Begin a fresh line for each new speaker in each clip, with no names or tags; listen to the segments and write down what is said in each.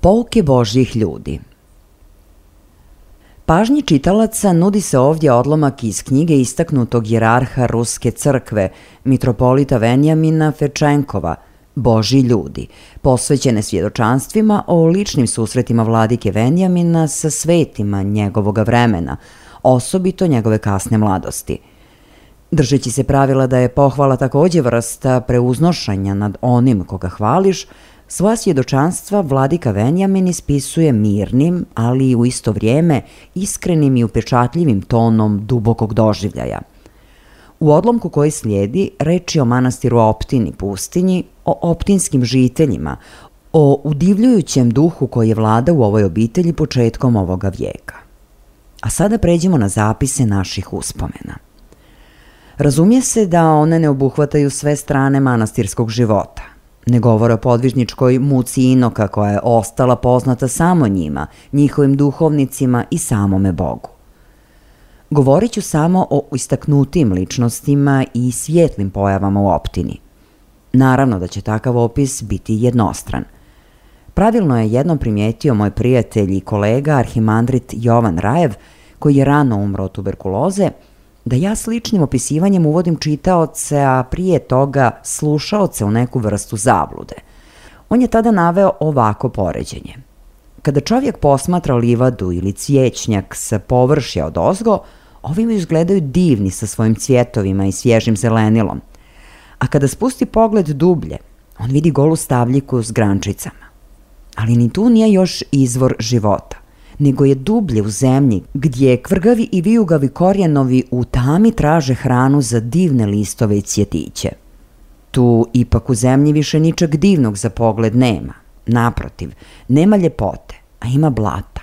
Pouke Božjih ljudi. Pažnji čitalaca nudi se ovdje odlomak iz knjige istaknutog hijerarha Ruske crkve, mitropolita Venjamina Fečenkova, Božji ljudi, posvećene svjedočanstvima o ličnim susretima vladike Venjamina sa svetima njegovoga vremena, osobito njegove kasne mladosti. Držeći se pravila da je pohvala također vrsta preuznošanja nad onim koga hvališ, svoja svjedočanstva vladika Venjamin ispisuje mirnim, ali u isto vrijeme iskrenim i upečatljivim tonom dubokog doživljaja. U odlomku koji slijedi reč je o manastiru Optini pustinji, o optinskim žiteljima, o udivljujućem duhu koji je vlada u ovoj obitelji početkom ovoga vijeka. A sada pređemo na zapise naših uspomena. Razumije se da one ne obuhvataju sve strane manastirskog života. Ne govore o podvižničkoj muci inoka koja je ostala poznata samo njima, njihovim duhovnicima i samome Bogu. Govorit ću samo o istaknutim ličnostima i svijetlim pojavama u optini. Naravno da će takav opis biti jednostran. Pravilno je jednom primijetio moj prijatelj i kolega arhimandrit Jovan Rajev, koji je rano umro od tuberkuloze, da ja sličnim opisivanjem uvodim čitaoce, a prije toga slušaoce u neku vrstu zablude. On je tada naveo ovako poređenje. Kada čovjek posmatra livadu ili cvijećnjak sa površja odozgo, ovim izgledaju divni sa svojim cvjetovima i svježim zelenilom. A kada spusti pogled dublje, on vidi golu stabljiku s grančicama. Ali ni tu nije još izvor života, nego je dublje u zemlji gdje kvrgavi i vijugavi korijenovi u tami traže hranu za divne listove i cvjetiće. Tu ipak u zemlji više ničeg divnog za pogled nema. Naprotiv, nema ljepote, a ima blata.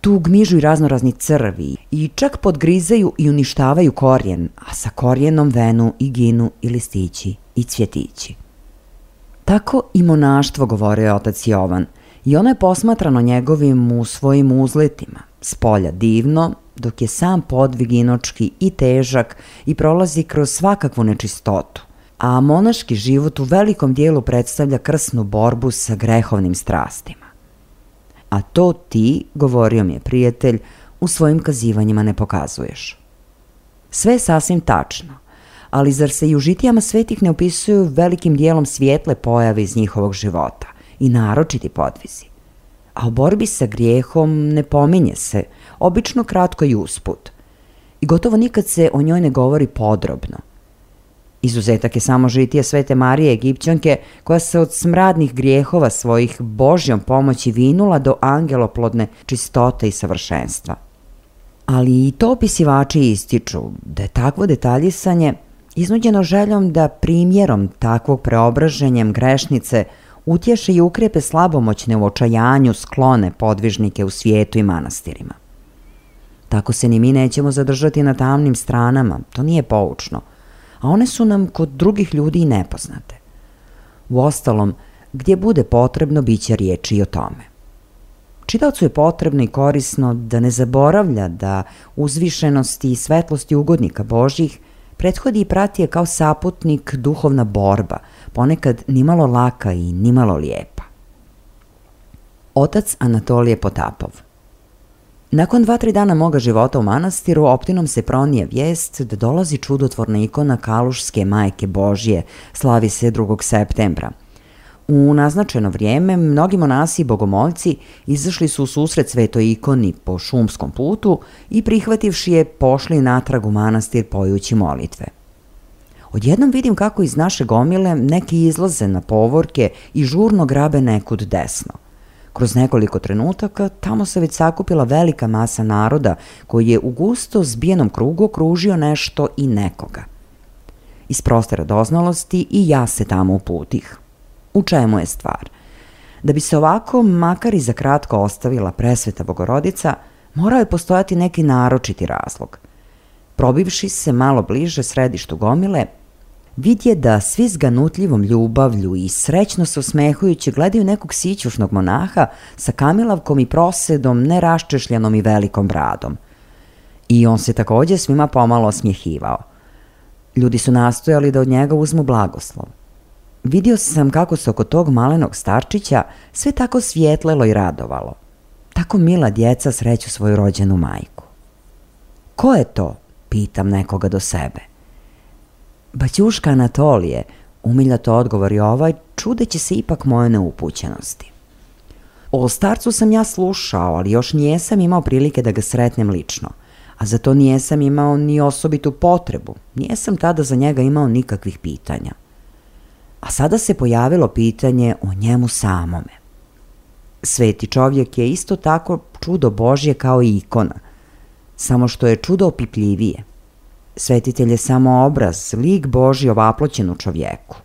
Tu gmižu i raznorazni crvi i čak podgrizaju i uništavaju korijen, a sa korijenom venu i ginu i listići i cvjetići. Tako i monaštvo, govorio je otac Jovan, i ono je posmatrano njegovim u svojim uzletima, s polja divno, dok je sam podvig inočki i težak i prolazi kroz svakakvu nečistotu, a monaški život u velikom dijelu predstavlja krsnu borbu sa grehovnim strastima. A to ti, govorio mi je prijatelj, u svojim kazivanjima ne pokazuješ. Sve je sasvim tačno, ali zar se i u žitijama svetih ne opisuju velikim dijelom svijetle pojave iz njihovog života i naročiti podvizi? A o borbi sa grijehom ne pominje se, obično kratko i usput. I gotovo nikad se o njoj ne govori podrobno. Izuzetak je samo žitije Svete Marije Egipćanke, koja se od smradnih grijehova svojih Božjom pomoći vinula do angeloplodne čistote i savršenstva. Ali i to opisivači ističu da je takvo detaljisanje iznuđeno željom da primjerom takvog preobraženjem grešnice utješe i ukrijepe slabomoćne u očajanju sklone podvižnike u svijetu i manastirima. Tako se ni mi nećemo zadržati na tamnim stranama, to nije poučno, a one su nam kod drugih ljudi i nepoznate. Uostalom, gdje bude potrebno, bit će riječi i o tome. Čitaocu je potrebno i korisno da ne zaboravlja da uzvišenosti i svetlosti ugodnika Božjih prethodi i prati je kao saputnik duhovna borba, ponekad nimalo laka i nimalo lijepa. Otac Anatolije Potapov. Nakon 2-3 dana moga života u manastiru, optinom se pronije vijest da dolazi čudotvorna ikona Kalušske Majke Božje, slavi se 2. septembra. U naznačeno vrijeme mnogi monasi i bogomoljci izašli su u susret svetoj ikoni po šumskom putu i prihvativši je pošli natrag u manastir pojući molitve. Odjednom vidim kako iz naše gomile neki izlaze na povorke i žurno grabe nekud desno. Kroz nekoliko trenutaka tamo se već sakupila velika masa naroda koji je u gusto zbijenom krugu okružio nešto i nekoga. Iz proste radoznalosti i ja se tamo uputih. U čemu je stvar? Da bi se ovako, makar i za kratko, ostavila presveta Bogorodica, morao je postojati neki naročiti razlog. Probivši se malo bliže središtu gomile, vidje da svi s ganutljivom ljubavlju i srećno se usmehujući gledaju nekog sićušnog monaha sa kamilavkom i prosedom, neraščešljanom i velikom bradom. I on se također svima pomalo osmjehivao. Ljudi su nastojali da od njega uzmu blagoslov. Vidio sam kako se oko tog malenog starčića sve tako svjetlelo i radovalo. Tako mila djeca sreću svoju rođenu majku. Ko je to? Pitam nekoga do sebe. Baćuška Anatolije, umiljato odgovori ovaj, čudeći se ipak moje neupućenosti. O starcu sam ja slušao, ali još nijesam imao prilike da ga sretnem lično, a za to nijesam imao ni osobitu potrebu, nijesam tada za njega imao nikakvih pitanja. A sada se pojavilo pitanje o njemu samome. Sveti čovjek je isto tako čudo Božje kao i ikona, samo što je čudo opipljivije. Svetitelj je samo obraz, lik Božji ovaploćen u čovjeku.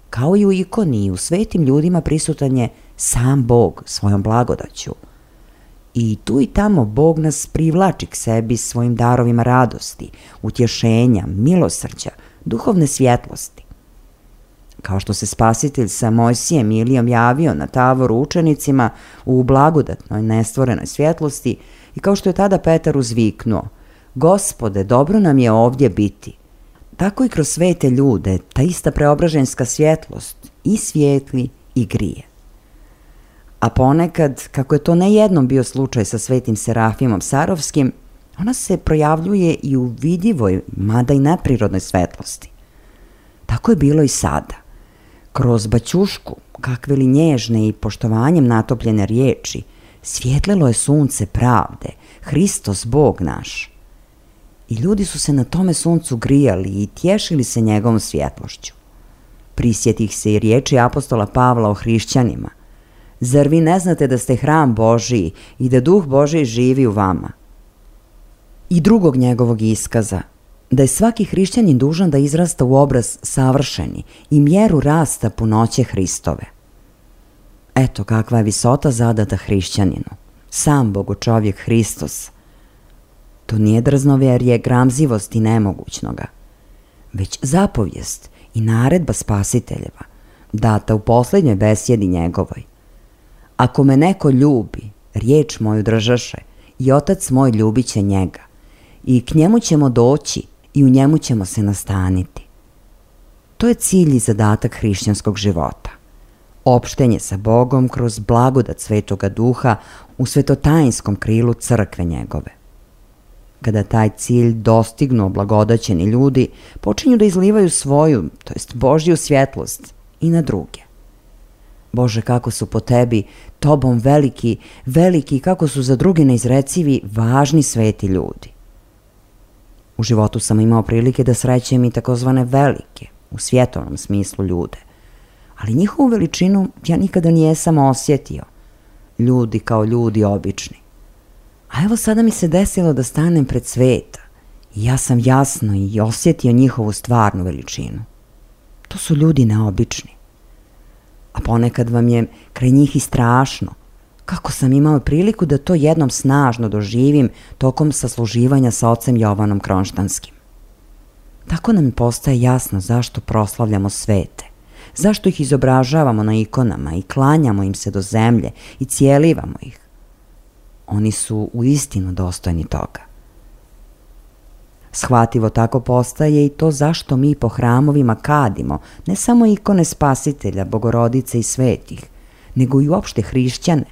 Kao i u ikoni i u svetim ljudima prisutan je sam Bog svojom blagodaću. I tu i tamo Bog nas privlači k sebi svojim darovima radosti, utješenja, milosrđa, duhovne svjetlosti. Kao što se Spasitelj sa Mojsijem i Ilijom javio na Tavoru učenicima u blagodatnoj nestvorenoj svjetlosti i kao što je tada Petar uzviknuo: Gospode, dobro nam je ovdje biti. Tako i kroz svete ljude ta ista preobraženska svjetlost i svijetli i grije. A ponekad, kako je to ne jednom bio slučaj sa svetim Serafimom Sarovskim, ona se projavljuje i u vidljivoj, mada i neprirodnoj svetlosti. Tako je bilo i sada. Kroz Baćušku, kakve li nježne i poštovanjem natopljene riječi, svjetlilo je sunce pravde, Hristos Bog naš. I ljudi su se na tome suncu grijali i tješili se njegovom svjetlošću. Prisjetih se i riječi apostola Pavla o hrišćanima. Zar vi ne znate da ste hram Božiji i da Duh Božiji živi u vama? I drugog njegovog iskaza, da je svaki hrišćanin dužan da izrasta u obraz savršeni i mjeru rasta punoće Hristove. Eto kakva je visota zadata hrišćaninu. Sam Bogočovjek Hristos. To nije drznovjerje, gramzivost i nemogućnoga, već zapovijest i naredba Spasiteljeva, data u posljednjoj besjedi njegovoj. Ako me neko ljubi, riječ moju držaše, i Otac moj ljubit će njega, i k njemu ćemo doći i u njemu ćemo se nastaniti. To je cilj i zadatak hrišćanskog života. Opštenje sa Bogom kroz blagodat Svetoga Duha u svetotajinskom krilu crkve njegove. Kada taj cilj dostignu oblagodaćeni ljudi, počinju da izlivaju svoju, to jest Božju svjetlost i na druge. Bože, kako su po tebi, tobom veliki, veliki, kako su za druge neizrecivi, važni sveti ljudi. U životu sam imao prilike da srećem i takozvane velike, u svjetovnom smislu ljude, ali njihovu veličinu ja nikada nijesam osjetio. Ljudi kao ljudi obični. A evo sada mi se desilo da stanem pred sveta i ja sam jasno i osjetio njihovu stvarnu veličinu. To su ljudi neobični. A ponekad vam je kraj njih i strašno, kako sam imao priliku da to jednom snažno doživim tokom sasluživanja sa ocem Jovanom Kronštanskim. Tako nam postaje jasno zašto proslavljamo svete, zašto ih izobražavamo na ikonama i klanjamo im se do zemlje i cijelivamo ih. Oni su uistinu dostojni toga. Shvativo tako postaje i to zašto mi po hramovima kadimo ne samo ikone Spasitelja, Bogorodice i svetih, nego i uopšte hrišćane.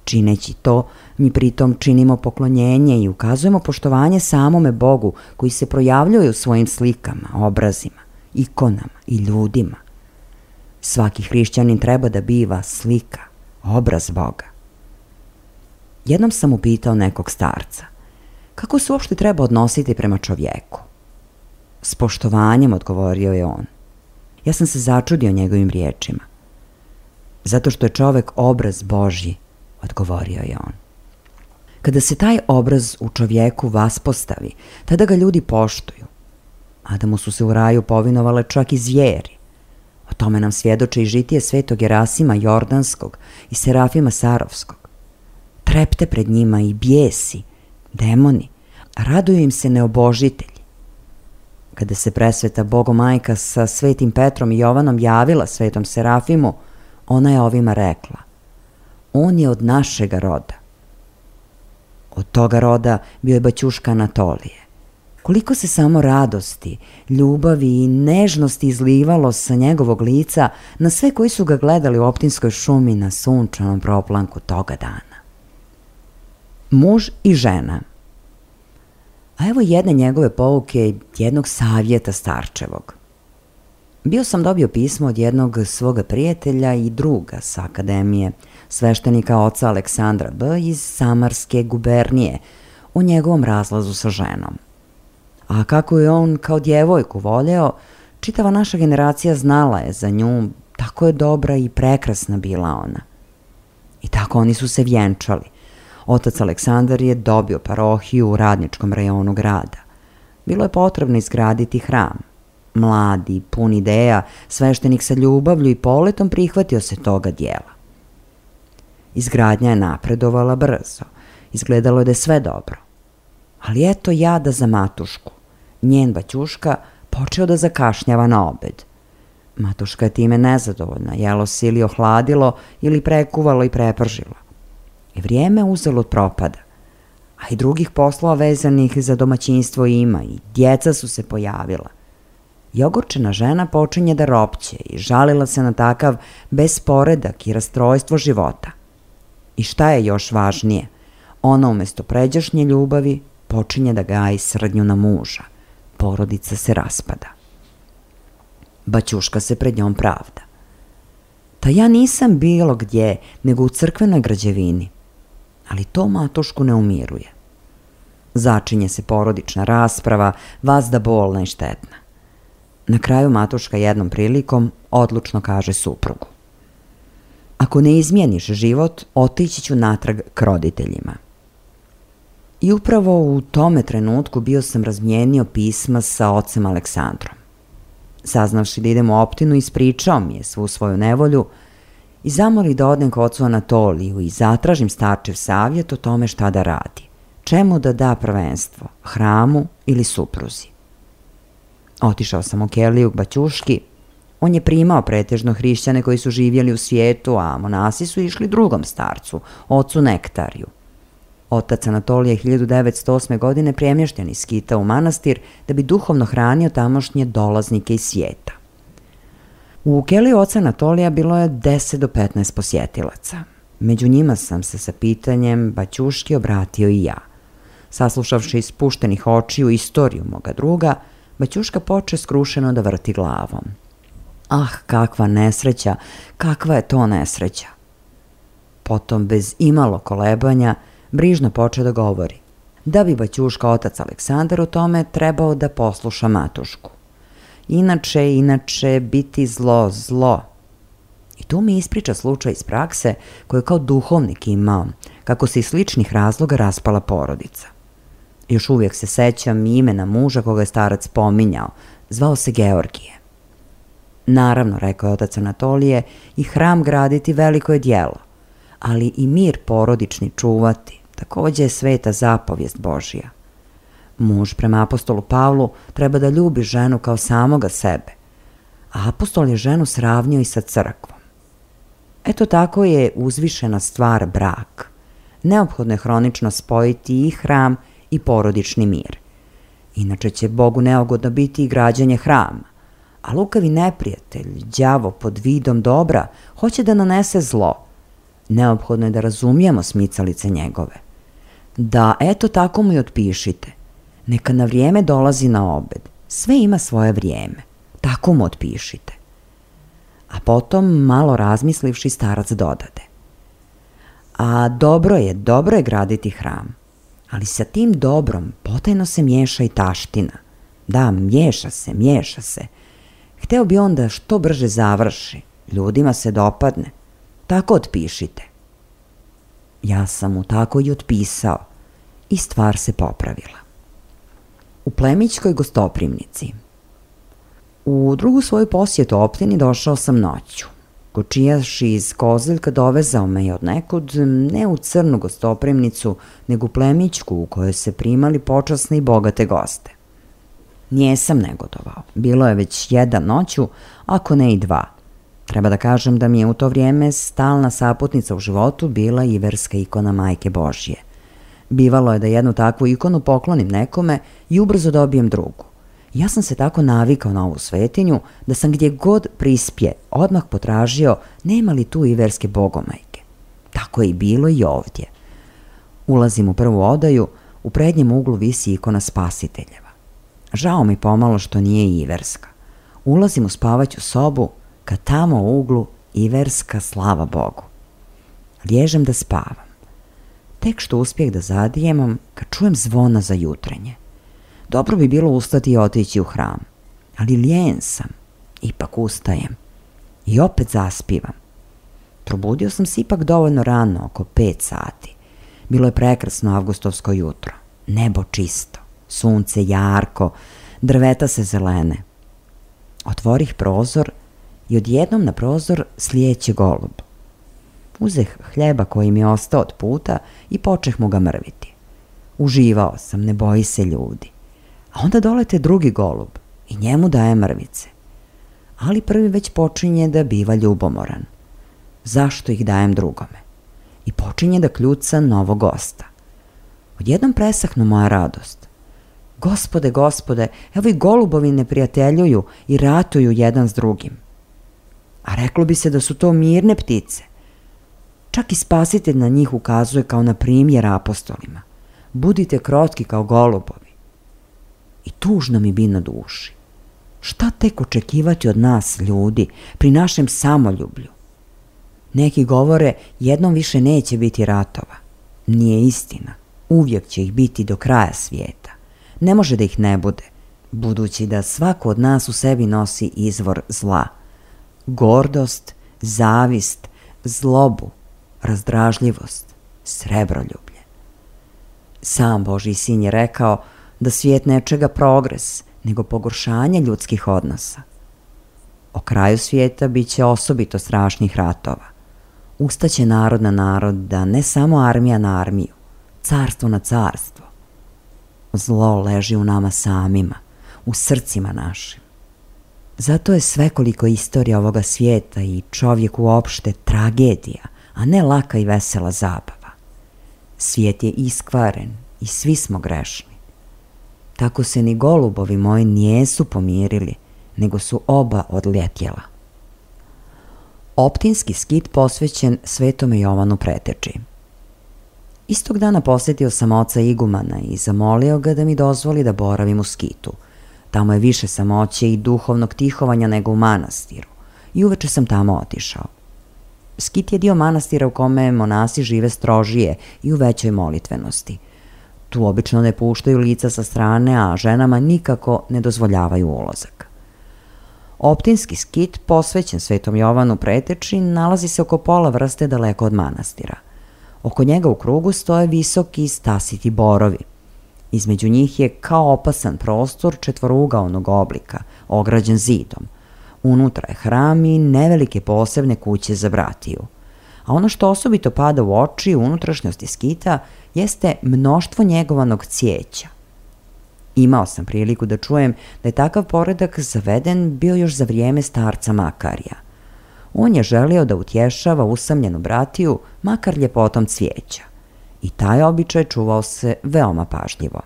Čineći to, mi pritom činimo poklonjenje i ukazujemo poštovanje samome Bogu koji se projavljuje u svojim slikama, obrazima, ikonama i ljudima. Svaki hrišćanin treba da biva slika, obraz Boga. Jednom sam upitao nekog starca, kako se uopšte treba odnositi prema čovjeku? S poštovanjem, odgovorio je on. Ja sam se začudio njegovim riječima. Zato što je čovjek obraz Božji, odgovorio je on. Kada se taj obraz u čovjeku vaspostavi, tada ga ljudi poštuju. Adamu su se u raju povinovale čak i zvijeri. O tome nam svjedoče i žitije svetog Gerasima Jordanskog i Serafima Sarovskog. Trepte pred njima i bijesi, demoni, a raduju im se neobožitelji. Kada se presveta Bogomajka sa svetim Petrom i Jovanom javila svetom Serafimu, ona je ovima rekla: on je od našega roda. Od toga roda bio je Baćuška Anatolije. Koliko se samo radosti, ljubavi i nežnosti izlivalo sa njegovog lica na sve koji su ga gledali u Optinskoj šumi na sunčanom proplanku toga dana. Muž i žena. A evo jedne njegove pouke, jednog savjeta starčevog. Bio sam dobio pismo od jednog svoga prijatelja i druga sa akademije, sveštenika oca Aleksandra B. iz Samarske gubernije, o njegovom razlazu sa ženom. A kako je on kao djevojku voljeo, čitava naša generacija znala je za nju, tako je dobra i prekrasna bila ona. I tako oni su se vjenčali. Otac Aleksandar je dobio parohiju u radničkom rajonu grada. Bilo je potrebno izgraditi hram. Mladi, pun ideja, sveštenik sa ljubavlju i poletom prihvatio se toga dijela. Izgradnja je napredovala brzo. Izgledalo je da je sve dobro. Ali eto jada za Matušku. Njen baćuška počeo da zakašnjava na obed. Matuška je time nezadovoljna, jelo se ili ohladilo ili prekuvalo i prepržilo. I vrijeme uzelo od propada. A i drugih poslova vezanih za domaćinstvo ima i djeca su se pojavila. I ogorčena žena počinje da ropće i žalila se na takav besporedak i rastrojstvo života. I šta je još važnije? Ona umjesto pređašnje ljubavi počinje da gaji srdnju na muža. Porodica se raspada. Baćuška se pred njom pravda. Ta ja nisam bilo gdje, nego u crkvenoj građevini. Ali to Matušku ne umiruje. Začinje se porodična rasprava, vazda bolna i štetna. Na kraju Matuška jednom prilikom odlučno kaže suprugu: ako ne izmijeniš život, otići ću natrag k roditeljima. I upravo u tome trenutku bio sam razmijenio pisma sa ocem Aleksandrom. Saznavši da idem u Optinu, ispričao mi je svu svoju nevolju i zamoli da odem k ocu Anatoliju i zatražim starčev savjet o tome šta da radi, čemu da da prvenstvo, hramu ili supruzi. Otišao sam u Keliju k baćuški. On je primao pretežno hrišćane koji su živjeli u svijetu, a monasi su išli drugom starcu, ocu Nektariju. Otac Anatolije je 1908. godine premješten iz Skita u manastir da bi duhovno hranio tamošnje dolaznike iz svijeta. U Keliju oca Anatolija bilo je 10 do 15 posjetilaca. Među njima sam se sa pitanjem baćuški obratio i ja. Saslušavši iz spuštenih očiju istoriju moga druga, baćuška poče skrušeno da vrti glavom. Ah, kakva nesreća, kakva je to nesreća. Potom, bez imalo kolebanja, brižno poče da govori. Da bi baćuška otac Aleksandar u tome trebao da posluša Matušku. Inače, biti zlo, zlo. I tu mi ispriča slučaj iz prakse koju je kao duhovnik imao, kako se iz sličnih razloga raspala porodica. Još uvijek se sećam imena muža koga je starac pominjao, zvao se Georgije. Naravno, rekao je otac Anatolije, i hram graditi veliko je djelo, ali i mir porodični čuvati, također je sveta zapovijest Božija. Muž prema apostolu Pavlu treba da ljubi ženu kao samoga sebe, a apostol je ženu sravnio i sa crkvom. Eto tako je uzvišena stvar brak. Neophodno je hronično spojiti i hram i porodični mir. Inače će Bogu neugodno biti i građanje hrama, a lukavi neprijatelj, đavo pod vidom dobra, hoće da nanese zlo. Neophodno je da razumijemo smicalice njegove. Da eto tako mu i otpišite. Neka na vrijeme dolazi na obed. Sve ima svoje vrijeme. Tako mu otpišite. A potom, malo razmislivši, starac dodade: a dobro je graditi hram, ali sa tim dobrom potajno se miješa i taština. Da, miješa se. Hteo bi on da što brže završi, ljudima se dopadne. Tako otpišite. Ja sam mu tako i otpisao i stvar se popravila. U Plemićkoj gostoprimnici. U drugu svoju posjetu Optini došao sam noću. Kočijaš iz Kozeljka dovezao me je od nekud, ne u crnu gostoprimnicu, nego u Plemićku u kojoj se primali počasne i bogate goste. Nijesam negodovao. Bilo je već jedan noću, ako ne i dva. Treba da kažem da mi je u to vrijeme stalna saputnica u životu bila iverska ikona Majke Božje. Bivalo je da jednu takvu ikonu poklonim nekome i ubrzo dobijem drugu. Ja sam se tako navikao na ovu svetinju da sam gdje god prispje odmah potražio nema li tu iverske bogomajke. Tako je i bilo i ovdje. Ulazim u prvu odaju, u prednjem uglu visi ikona Spasiteljeva. Žao mi pomalo što nije iverska. Ulazim u spavaću sobu, kad tamo u uglu iverska, slava Bogu. Liježem da spavam. Tek što uspjeh da zadijemam, kad čujem zvona za jutrenje. Dobro bi bilo ustati i otići u hram, ali lijen sam. Ipak ustajem i opet zaspivam. Probudio sam se ipak dovoljno rano, oko 5 sati. Bilo je prekrasno avgustovsko jutro. Nebo čisto, sunce jarko, drveta se zelene. Otvorih prozor i odjednom na prozor slijeće golub. Uzeh hljeba koji mi je ostao od puta i počeh mu ga mrviti. Uživao sam, ne boji se ljudi. A onda dolete drugi golub i njemu daje mrvice. Ali prvi već počinje da biva ljubomoran. Zašto ih dajem drugome? I počinje da kljuca novog gosta. Odjednom presahnu moja radost. Gospode, gospode, evo i golubovi ne prijateljuju i ratuju jedan s drugim. A reklo bi se da su to mirne ptice. Čak i Spasitelj na njih ukazuje kao na primjer apostolima. Budite krotki kao golubovi. I tužno mi bi na duši. Šta tek očekivati od nas, ljudi, pri našem samoljublju? Neki govore, jednom više neće biti ratova. Nije istina. Uvijek će ih biti do kraja svijeta. Ne može da ih ne bude, budući da svako od nas u sebi nosi izvor zla. Gordost, zavist, zlobu, razdražljivost, srebroljublje. Sam Božji sin je rekao da svijet ne čega progres, nego pogoršanje ljudskih odnosa. O kraju svijeta bit će osobito strašnih ratova. Ustaće narod na narod, da ne samo armija na armiju, carstvo na carstvo. Zlo leži u nama samima, u srcima našim. Zato je svekoliko istorija ovoga svijeta i čovjek uopšte tragedija, a ne laka i vesela zabava. Svijet je iskvaren i svi smo grešni. Tako se ni golubovi moji nijesu pomirili, nego su oba odljetjela. Optinski skit posvećen Svetome Jovanu Preteči. Istog dana posjetio sam oca igumana i zamolio ga da mi dozvoli da boravim u skitu. Tamo je više samoće i duhovnog tihovanja nego u manastiru i uveče sam tamo otišao. Skit je dio manastira u kome monasi žive strožije i u većoj molitvenosti. Tu obično ne puštaju lica sa strane, a ženama nikako ne dozvoljavaju ulazak. Optinski skit, posvećen Svetom Jovanu Preteči, nalazi se oko pola vrste daleko od manastira. Oko njega u krugu stoje visoki stasiti borovi. Između njih je kao opasan prostor četvorugaonog oblika, ograđen zidom. Unutra je hram i nevelike posebne kuće za bratiju. A ono što osobito pada u oči u unutrašnjosti skita jeste mnoštvo njegovanog cvijeća. Imao sam priliku da čujem da je takav poredak zaveden bio još za vrijeme starca Makarija. On je želio da utješava usamljenu bratiju makar ljepotom cvijeća. I taj običaj čuvao se veoma pažljivo.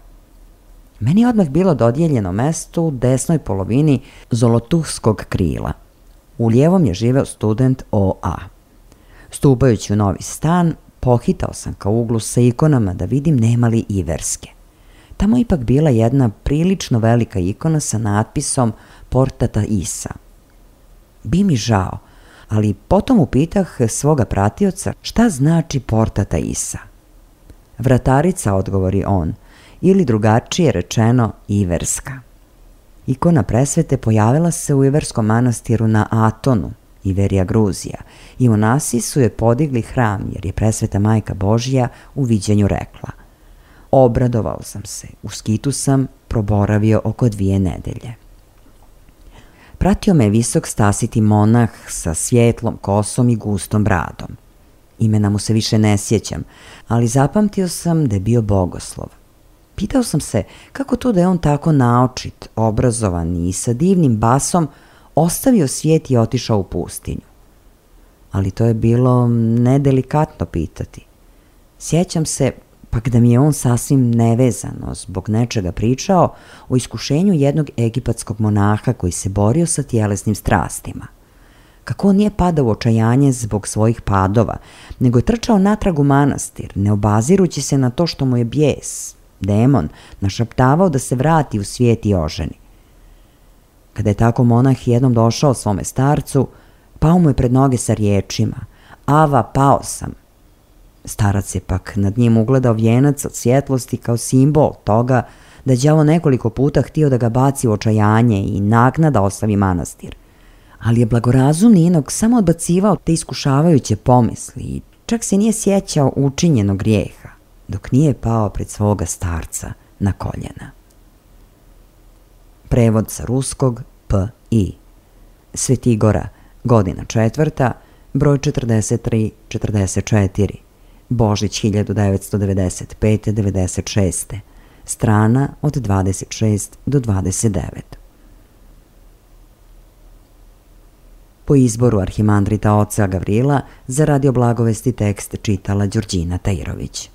Meni je odmah bilo dodijeljeno mesto u desnoj polovini zolotuhskog krila. U lijevom je živeo student O.A. Stupajući u novi stan, pohitao sam ka uglu sa ikonama da vidim nema li iverske. Tamo je ipak bila jedna prilično velika ikona sa natpisom Portata Isa. Bi mi žao, ali potom upitah svoga pratioca šta znači Portata Isa. Vratarica, odgovori on, ili drugačije rečeno iverska. Ikona presvete pojavila se u iverskom manastiru na Atonu, Iverija Gruzija, i monasi su je podigli hram jer je presveta Majka Božja u viđenju rekla: obradovao sam se, u skitu sam proboravio oko 2 nedelje. Pratio me visok stasiti monah sa svjetlom kosom i gustom bradom. Imena mu se više ne sjećam, ali zapamtio sam da je bio bogoslov. Pitao sam se kako to da je on tako naočit, obrazovan i sa divnim basom ostavio svijet i otišao u pustinju. Ali to je bilo nedelikatno pitati. Sjećam se, Pak da mi je on sasvim nevezano zbog nečega pričao o iskušenju jednog egipatskog monaha koji se borio sa tjelesnim strastima. Kako on nije padao u očajanje zbog svojih padova, nego je trčao natrag u manastir, ne obazirući se na to što mu je bijes, demon, našaptavao da se vrati u svijet i oženi. Kada je tako monah jednom došao svome starcu, pao mu je pred noge sa riječima: "Ava, pao sam." Starac je pak nad njim ugledao vijenac od svjetlosti kao simbol toga da je đavo nekoliko puta htio da ga baci u očajanje i naknada ostavi manastir. Ali je blagorazumni inog samo odbacivao te iskušavajuće pomisli i čak se nije sjećao učinjenog grijeha, dok nije pao pred svoga starca na koljena. Prevod sa ruskog P.I. Svetigora, godina 4, broj 43-44, Božić 1995-96, strana od 26 do 29. Po izboru arhimandrita oca Gavrila za Radio Blagovesti tekst čitala Đurđina Tajirović.